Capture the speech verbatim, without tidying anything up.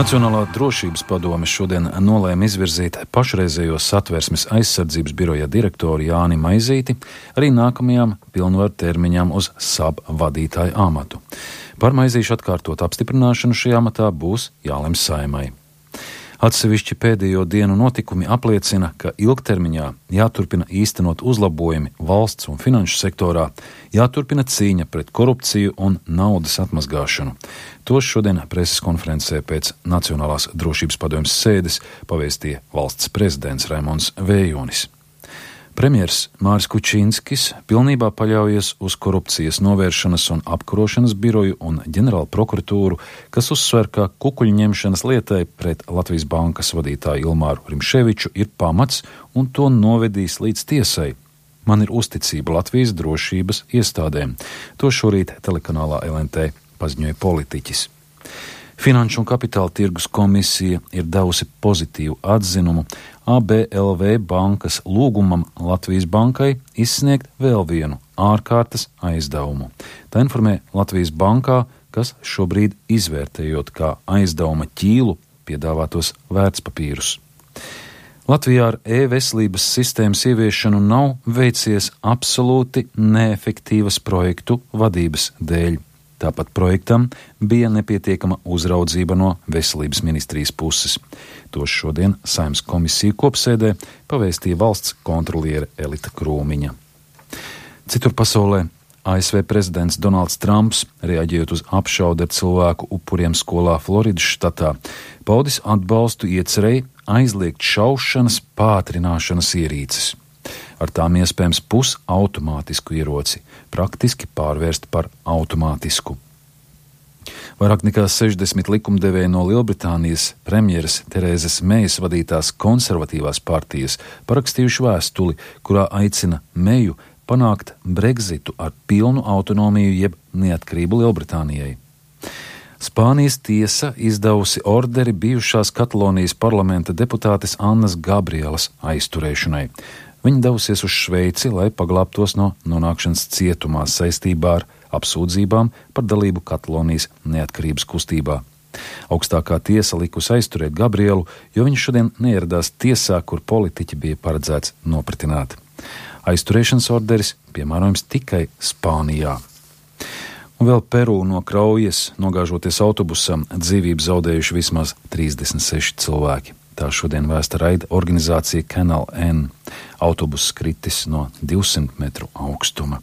Nacionālā drošības padome šodien nolēma izvirzīt pašreizējo Satversmes aizsardzības biroja direktoru Jāni Maizīti arī nākamajām pilnvaru termiņām uz S A B vadītāju amatu. Par Maizīšu atkārtot apstiprināšanu šajā amatā būs jālemj Saeimai. Atsevišķi pēdējo dienu notikumi apliecina, ka ilgtermiņā jāturpina īstenot uzlabojumi valsts un finanšu sektorā, jāturpina cīņa pret korupciju un naudas atmazgāšanu. To šodien preses konferencē pēc Nacionālās drošības padomjas sēdes pavēstīja valsts prezidents Raimonds Vējonis. Premjers Māris Kučinskis pilnībā paļaujas uz korupcijas novēršanas un apkarošanas biroju un ģenerālu prokuratūru, kas uzsver, ka kukuļņemšanas lietai pret Latvijas bankas vadītāju Ilmāru Rimševiču ir pamats un to novedīs līdz tiesai. Man ir uzticība Latvijas drošības iestādēm. To šorīt telekanālā L N T paziņoja politiķis. Finanšu un kapitāla tirgus komisija ir devusi pozitīvu atzinumu A B L V bankas lūgumam Latvijas bankai izsniegt vēl vienu ārkārtas aizdevumu. Tā informē Latvijas bankā, kas šobrīd izvērtējot kā aizdevuma ķīlu piedāvātos vērtspapīrus. Latvijā ar e-veselības sistēmas ieviešanu nav veicies absolūti neefektīvas projektu vadības dēļ. Tāpat projektam bija nepietiekama uzraudzība no veselības ministrijas puses. To šodien Saeimas komisiju kopsēdē pavēstīja valsts kontroliere Elita Krūmiņa. Citur pasaulē A S V prezidents Donalds Trumps, reaģējot uz apšaudi ar cilvēku upuriem skolā Floridas štatā, paudis atbalstu iecerēji aizliegt šaušanas pātrināšanas ierīces. Ar tām iespējams pusautomātisku ieroci, praktiski pārvērst par automātisku. Vairāk nekā sešdesmit likumdevēji no Lielbritānijas premjeras Terēzes Mejas vadītās konservatīvās partijas parakstījuši vēstuli, kurā aicina Meju panākt Brexitu ar pilnu autonomiju jeb neatkarību Lielbritānijai. Spānijas tiesa izdevusi orderi bijušās Katalonijas parlamenta deputātes Annas Gabrielas aizturēšanai. Viņa devusies uz Šveici, lai paglābtos no nonākšanas cietumā saistībā ar apsūdzībām par dalību Katalonijas neatkarības kustībā. Augstākā tiesa likusi aizturēt Gabrielu, jo viņš šodien neieradās tiesā, kur politiķi bija paredzēts nopratināt. Aizturēšanas orderis piemērojams tikai Spānijā. Un vēl Peru no Kraujas, nogāžoties autobusam, dzīvību zaudējuši vismaz trīsdesmit seši cilvēki. Tā šodien vēsta raida organizācija Canal N. Autobuss kritis no divsimt metru augstuma.